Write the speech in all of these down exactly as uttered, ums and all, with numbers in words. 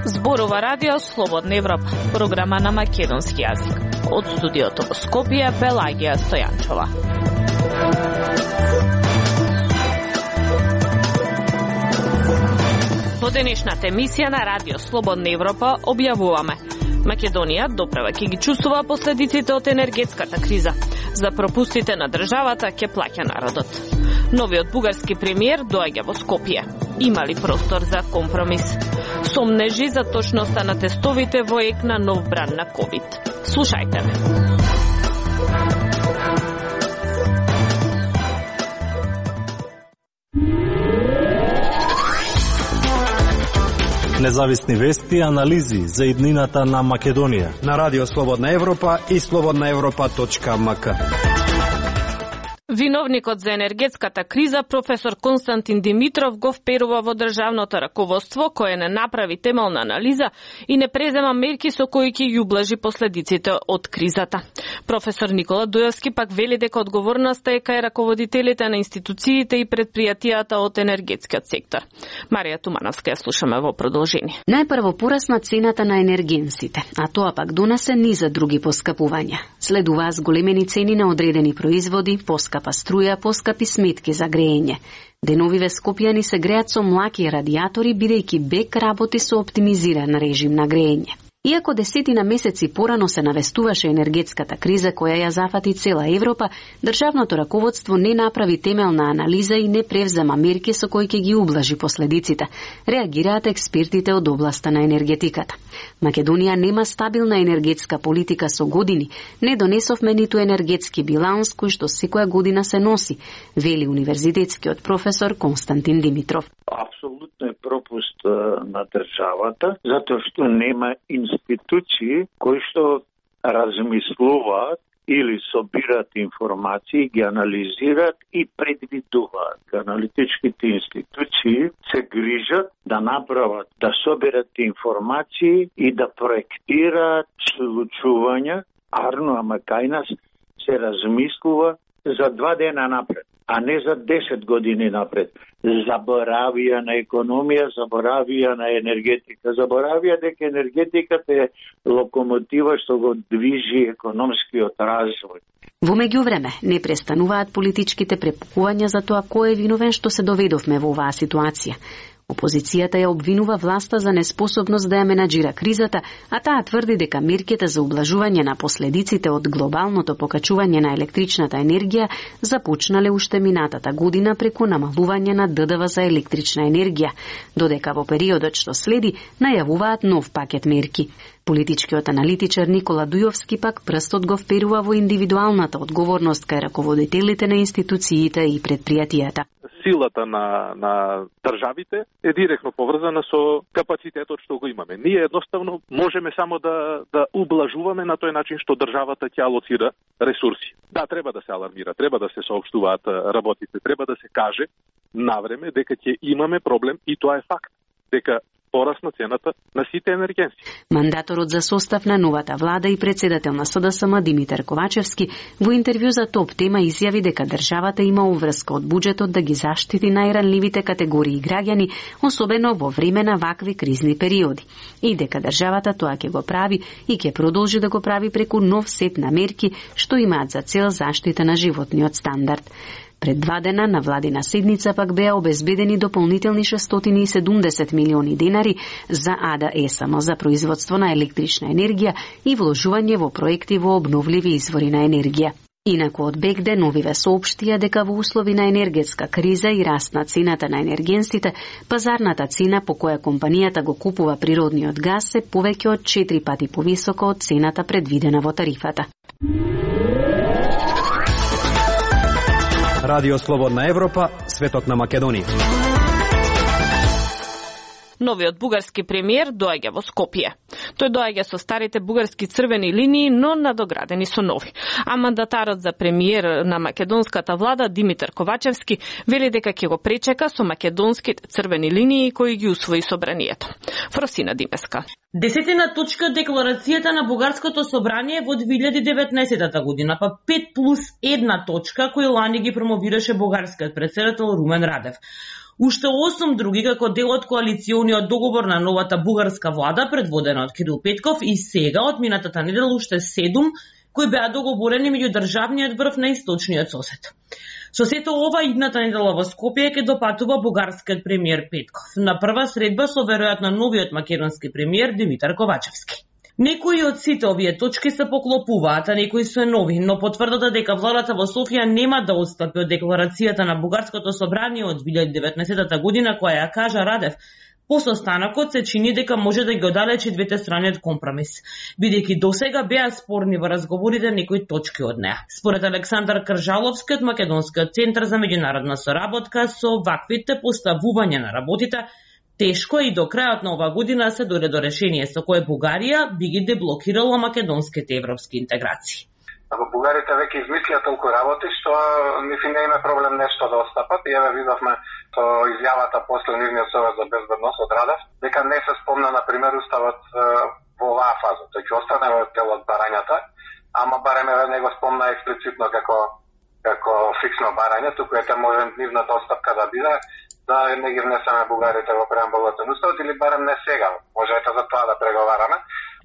Зборува радио Слободна Европа, програма на македонски јазик. Од студиото во Скопје, Пелагија Стојанчова. Во денешната емисија на радио Слободна Европа објавуваме: Македонија допрева ќе ги чувствува последиците од енергетската криза. За пропустите на државата ќе плаќа народот. Новиот бугарски премиер доаѓа во Скопје. Има ли простор за компромис? Сомнежи за точноста на тестовите во ек на нов бран на ковид. Слушајте ме. Независни вести и анализи за иднината на Македонија на радио Слободна Европа и слободна европа точка ем ка. Виновникот за енергетската криза, професор Константин Димитров, го вперува во државното раководство, кое не направи темелна анализа и не презема мерки со кои ќе ја ублажи последиците од кризата. Професор Никола Дуевски пак вели дека одговорноста е кај раководителите на институциите и предпријатијата од енергетскиот сектор. Марија Тумановска ја слушаме во продолжение. Најпрво порасна цената на енергенсите, а тоа пак донесе низа други поскапувања. Следува зголемени цени на одредени производи, поскапа струја, поскапи сметки за греење. Деновиве скопјани се греат со млаки радиатори, бидејќи БЕК работи со оптимизиран режим на греење. Иако десетина месеци порано се навестуваше енергетската криза која ја зафати цела Европа, државното раководство не направи темелна анализа и не превзема мерки со кои ќе ги ублажи последиците, реагираат експертите од областа на енергетиката. Македонија нема стабилна енергетска политика со години, не донесовме ниту енергетски биланс кој што секоја година се носи, вели универзитетскиот професор Константин Димитров. Апсолутно е пропуст на државата, затоа што нема институции кои што размислуваат или собираат информации, ги анализираат и предвидуваат. Аналитичките институции се грижат да направат, да соберат информации и да проектираат случувања, арно, ама кај нас се размислува за два дена напред, а не за десет години напред. Заборавија на економија, заборавија на енергетика, заборавија дека енергетиката е локомотива што го движи економскиот развој. Во меѓувреме, не престануваат политичките препукувања за тоа кој е виновен што се доведовме во оваа ситуација. Опозицијата ја обвинува власта за неспособност да ја менаџира кризата, а таа тврди дека мерките за ублажување на последиците од глобалното покачување на електричната енергија започнале уште минатата година преку намалување на Д Д В за електрична енергија, додека во периодот што следи најавуваат нов пакет мерки. Политичкиот аналитичар Никола Дујовски пак прстот го вперува во индивидуалната одговорност кај раководителите на институциите и предпријатијата. Силата на, на државите е директно поврзана со капацитетот што го имаме. Ние едноставно можеме само да, да ублажуваме на тој начин што државата ќе алоцира ресурси. Да, треба да се алармира, треба да се соопштуваат работите, треба да се каже навреме дека ќе имаме проблем и тоа е факт, дека порасна цената на сите енергенси. Мандаторот за состав на новата влада и председател на С Д С М Димитар Ковачевски во интервју за Топ Тема изјави дека државата има уврска од буџетот да ги заштити најранливите категории граѓани, особено во време на вакви кризни периоди. И дека државата тоа ќе го прави и ќе продолжи да го прави преку нов сет на мерки што имаат за цел заштита на животниот стандард. Пред два дена на владина седница пак беа обезбедени дополнителни шестстотини и седумдесет милиони денари за А Д Е С М за производство на електрична енергија и вложување во проекти во обновливи извори на енергија. Инаку од БЕК деновиве соопштија дека во услови на енергетска криза и раст на цената на енергенсите, пазарната цена по која компанијата го купува природниот газ е повеќе од четири пати повисока од цената предвидена во тарифата. Радио Слободна Европа, светот на Македонија. Новиот бугарски премиер доаѓа во Скопје. Тој доаѓа со старите бугарски црвени линии, но надоградени со нови. А мандатарот за премиер на македонската влада Димитар Ковачевски вели дека ќе го пречека со македонските црвени линии кои ги усвои собранието. Фросина Димеска. Десетина точка декларацијата на Бугарското собрание во две илјади и деветнаесетта година, па пет плюс една точка кои лани ги промовираше бугарскиот председател Румен Радев. Уште осум други како дел од коалициониот договор на новата бугарска влада предводена од Кирил Петков и сега од минатата недела уште седум кои беа договорени меѓу државниот врв на источниот сосед. Со сето ова, идната недела во Скопје ќе допатува бугарскиот премиер Петков на прва средба со веројатно новиот македонски премиер Димитар Ковачевски. Некои од сите овие точки се поклопуваат, а некои се нови, но потврдата дека владата во Софија нема да отстапи од декларацијата на Бугарското собрание од две илјади и деветнаесетта година која ја кажа Радев, по состанокот се чини дека може да ги оддалечи двете страни од компромис, бидејќи досега беа спорни во разговорите некои точки од неа. Според Александар Кржаловски од Македонскиот центар за меѓународна соработка, со ваквите поставување на работите, тешко и до крајот на ова година се дојде до решение со кое Бугарија би ги деблокирала македонските европски интеграции. Ако бугарите веќе измислија толку работи, што мисли не има проблем нешто да отстапат. И еве видовме со изјавата после нивниот совет за безбедност од Радев, дека не се спомна, на пример, уставот во оваа фаза. Тој ќе остане дел од барањата, ама барем еве не го спомна експлицитно како како фиксно барање, туку ете може нивната отстапка да биде да не ги внесеме бугарите во преамбулот на уставот или барем не сега. Може ете за тоа да преговараме.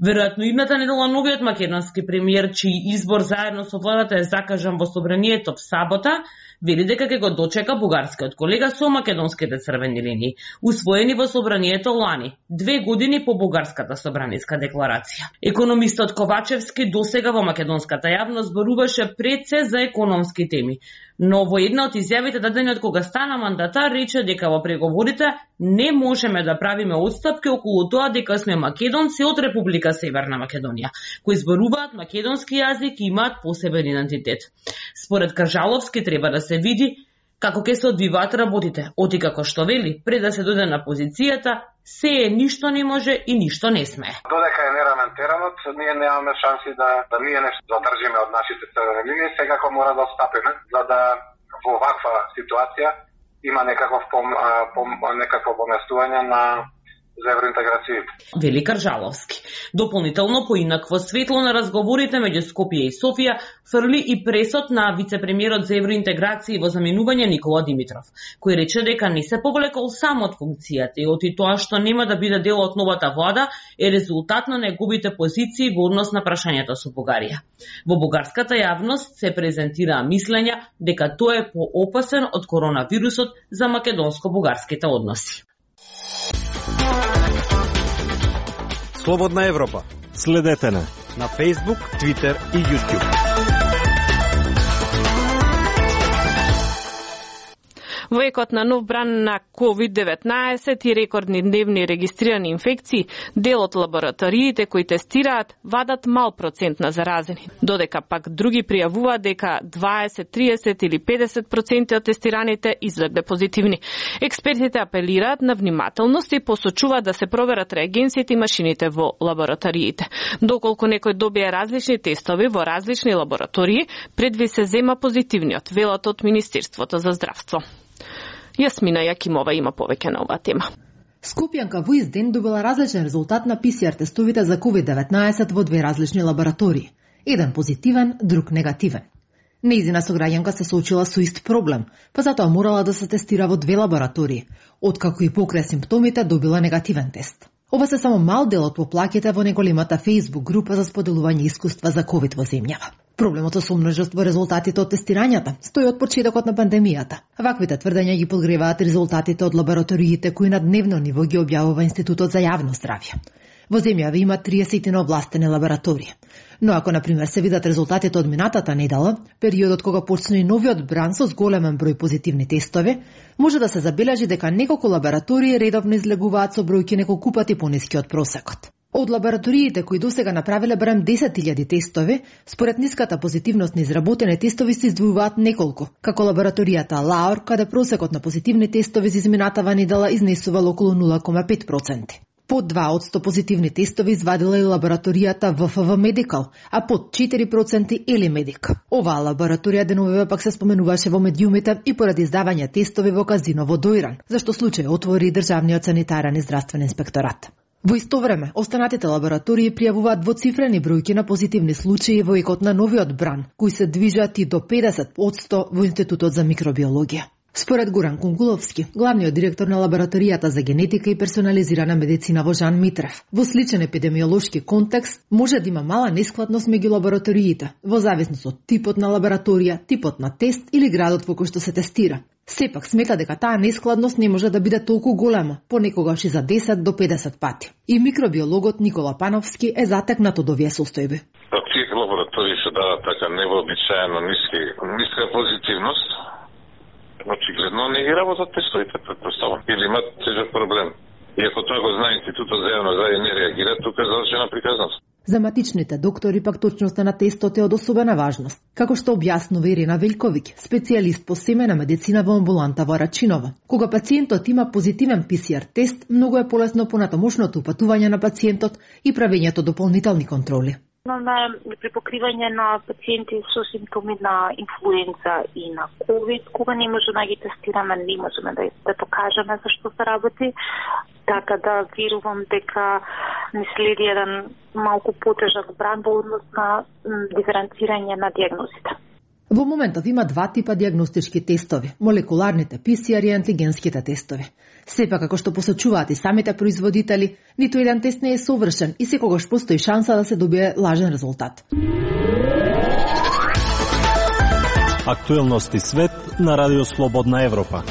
Веројатно идната недела новиот македонски премиер, чиј избор заедно со владата е закажан во собранието в сабота, вели дека ќе го дочека бугарскиот колега со македонските црвени линии, усвоени во собранието лани, две години по бугарската собраниска декларација. Економистот Ковачевски досега во македонската јавност зборуваше пред се за економски теми, но во една од изјавите дадени од кога стана мандатар рече дека во преговорите не можеме да правиме отстапки околу тоа дека сме македонци од Република Северна Македонија, кои зборуваат македонски јазик и имаат посебен идентитет. Според Кржаловски треба да се види како ќе се одвиваат работите, оти како што вели, пред да се дојде на позицијата, се е ништо не може и ништо не смее. Додека е нераментирано, ние немаме шанси да, да ние нешто задржиме од нашите црвени линии, секако мора да отстапиме, за да во ваква ситуација има некаков пом, пом, некакво поместување на за евроинтеграцијата. Вели Кржаловски. Дополнително поинакво светло на разговорите меѓу Скопје и Софија фрли и пресот на вице-премиерот за евроинтеграција во заменување Никола Димитров, кој рече дека не се повлекол сам од функцијата и оти тоа што нема да биде дел од новата влада е резултат на неговите позиции во однос на прашањето со Бугарија. Во бугарската јавност се презентираа мислења дека тој е поопасен од коронавирусот за македонско-бугарските односи. Слободна Европа. Следете на на Facebook, Twitter и YouTube. Во екот на нов бран на ковид деветнаесет и рекордни дневни регистрирани инфекции, дел од лабораториите кои тестираат вадат мал процент на заразени, додека пак други пријавуваат дека дваесет, триесет или педесет проценти од тестираните излегле позитивни. Експертите апелираат на внимателност и посочуваат да се проверат реагенсите и машините во лабораториите. Доколку некој добие различни тестови во различни лаборатории, предви се зема позитивниот, велат од Министерството за здравство. Јасмина Јакимова има повеќе на оваа тема. Скопјанка во ист ден добила различен резултат на пи си ар тестовите за ковид деветнаесет во две различни лаборатории. Еден позитивен, друг негативен. Нејзина сограѓанка се соочила со ист проблем, па затоа морала да се тестира во две лаборатории, откако и покрај симптомите добила негативен тест. Ова се само мал дел од поплаките во неголемата Facebook група за споделување искуства за ковид во земјава. Проблемот со сомножност во резултатите од тестирањата стои од почетокот на пандемијата. Ваквите тврдења ги подгреваат резултатите од лабораториите кои на дневно ниво ги објавува Институтот за јавно здравје. Во земјава има триесет овластени лаборатории. Но ако, на пример, се видат резултатите од минатата недела, периодот кога почна и новиот бран со зголемен број позитивни тестови, може да се забележи дека неколку лаборатории редовно излегуваат со бројки неколку пати пониски од просекот. Од лабораториите кои досега направиле барем десет илјади тестови, според ниската позитивност на изработени тестови се издвојуваат неколку, како лабораторијата Лаур, каде просекот на позитивни тестови за изминатава недела изнесувал околу нула кома пет проценти. Под два од сто позитивни тестови извадила и лабораторијата В Ф В Медикал, а под четири проценти Ели Медик. Оваа лабораторија деновиве пак се споменуваше во медиумите и поради издавање тестови во казино во Доиран, зашто случај отвори државниот санитарен и здравствен инспекторат. Во исто време, останатите лаборатории пријавуваат двоцифрени бројки на позитивни случаи во екот на новиот бран, кои се движат и до педесет одсто во Институтот за микробиологија. Според Горан Кунгуловски, главниот директор на лабораторијата за генетика и персонализирана медицина во Жан Митрев, во сличен епидемиолошки контекст може да има мала нескладност меѓу лабораториите, во зависност од типот на лабораторија, типот на тест или градот во кој што се тестира. Сепак смета дека таа нескладност не може да биде толку голема, понекогаш и за десет до педесет пати. И микробиологот Никола Пановски е затекнат од овие состојби. Тие лаборатории се дават така невообичаено ниски, ниска позитивност. Очигледно не ги работат тестовите, предпоставам. Или имат тежок проблем. И ако тоа го знае Институтот за јавно здравје не реагира, тука е завршена приказност. За матичните доктори пак точноста на тестот е од особена важност. Како што објаснува Ирина Велјковиќ, специјалист по семејна медицина во амбуланта во Рачиново. Кога пациентот има позитивен Пи Си Ар тест, многу е полесно понатамошното упатување на пациентот и правењето дополнителни контроли. Имаме при покривање на пациенти со симптоми на инфлуенца и на ковид, кога не може да ги тестираме, не можеме да, да покажеме зашто се работи, така да верувам дека не следи еден малку потежак бран во однос на диференцирање на диагнозите. Во моментов има два типа диагностички тестови, молекуларните Пи Си Ар и антигенските тестови. Сепак, како што посочуваат и самите производители, ниту еден тест не е совршен и секогаш постои шанса да се добие лажен резултат. Актуелности свет на Радио Слободна Европа.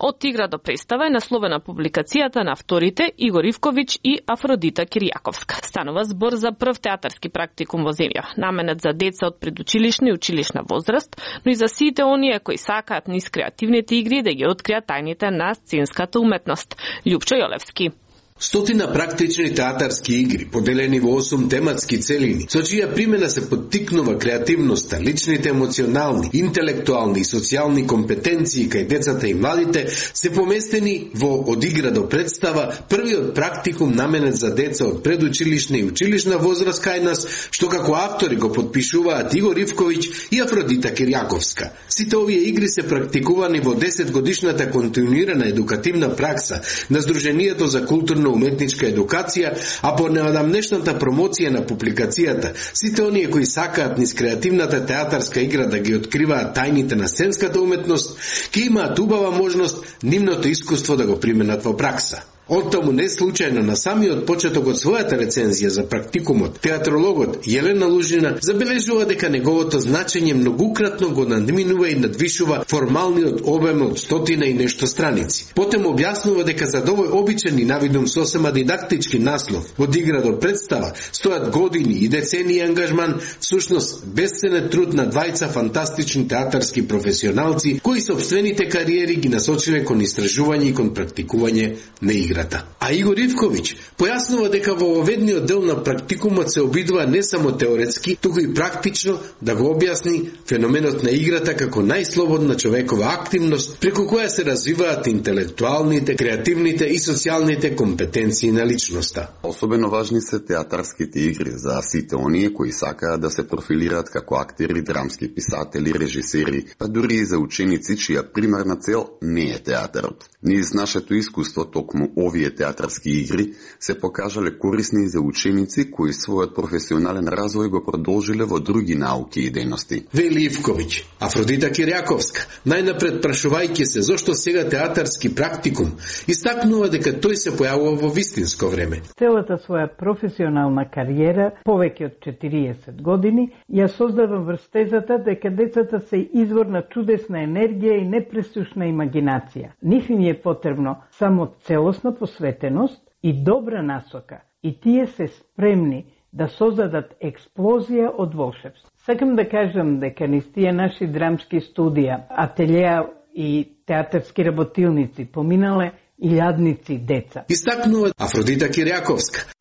Од тигра до представа е насловена публикацијата на авторите Игор Ивковиќ и Афродита Киријаковска. Станува збор за прв театарски практикум во земја, наменет за деца од предучилишна и училишна возраст, но и за сите оние кои сакаат низ креативните игри да ги откријат тајните на сценската уметност. Љупчо Јолевски. Стотина практични театарски игри, поделени во осум тематски целини, со чија примена се поттикнува креативноста, личните емоционални, интелектуални и социјални компетенции кај децата и младите, се поместени во Од игра до представа, првиот практикум наменет за деца од предучилишна и училишна возраст кај нас, што како автори го потпишуваат Игор Ивковиќ и Афродита Киријаковска. Сите овие игри се практикувани во десет годишната континуирана едукативна пракса на Сдруженијето за културно уметничка едукација, а по неодамнешната промоција на публикацијата, сите оние кои сакаат низ креативната театарска игра да ги откриваат тајните на сценската уметност, ќе имаат убава можност нивното искуство да го применат во пракса. Оттаму не случајно на самиот почеток од својата рецензија за практикумот, театрологот Јелена Лужина забележува дека неговото значење многукратно го надминува и надвишува формалниот обем од стотина и нешто страници. Потем објаснува дека за овој обичен и навидум сосема дидактички наслов Од игра до представа стојат години и децении ангажман, всушност бесценен труд на двајца фантастични театарски професионалци кои сопствените кариери ги насочиле кон истражување и кон практикување на игра. А Игор Ивковиќ појаснува дека во оведниот дел на практикумот се обидува не само теоретски, туку и практично да го објасни феноменот на играта како најслободна човекова активност преку која се развиваат интелектуалните, креативните и социјалните компетенции на личноста. Особено важни се театарските игри за сите оние кои сакаат да се профилираат како актери, драмски писатели, режисери, па дури и за ученици чија примарна цел не е театарот. Низ нашето искуство токму овие театарски игри се покажале корисни за ученици кои својот професионален развој го продолжиле во други науки и дејности. Вели Ивковиќ. Афродита Киријаковска, најнапред прашувајќи се зошто сега театарски практикум, истакнува дека тој се појавува во вистинско време. Целата своја професионална кариера, повеќе од четириесет години, ја создавам врз тезата дека децата се извор на чудесна енергија и непресушна имагинација. Нив им е потребно само целосна посветеност и добра насока, и тие се спремни да создадат експлозија од волшебство. Сакам да кажам дека низ тие наши драмски студија, ателјеа и театарски работилници поминале илјадници деца. Истакнува Афродита Киријаковска.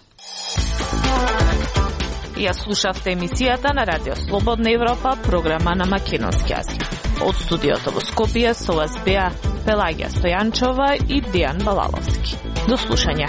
Ја слушавте емисијата на Радио Слободна Европа, програма на македонски јазик. Од студиото во Скопје со вас беа Пелагија Стојанчова и Дијан Балаловски. До слушање.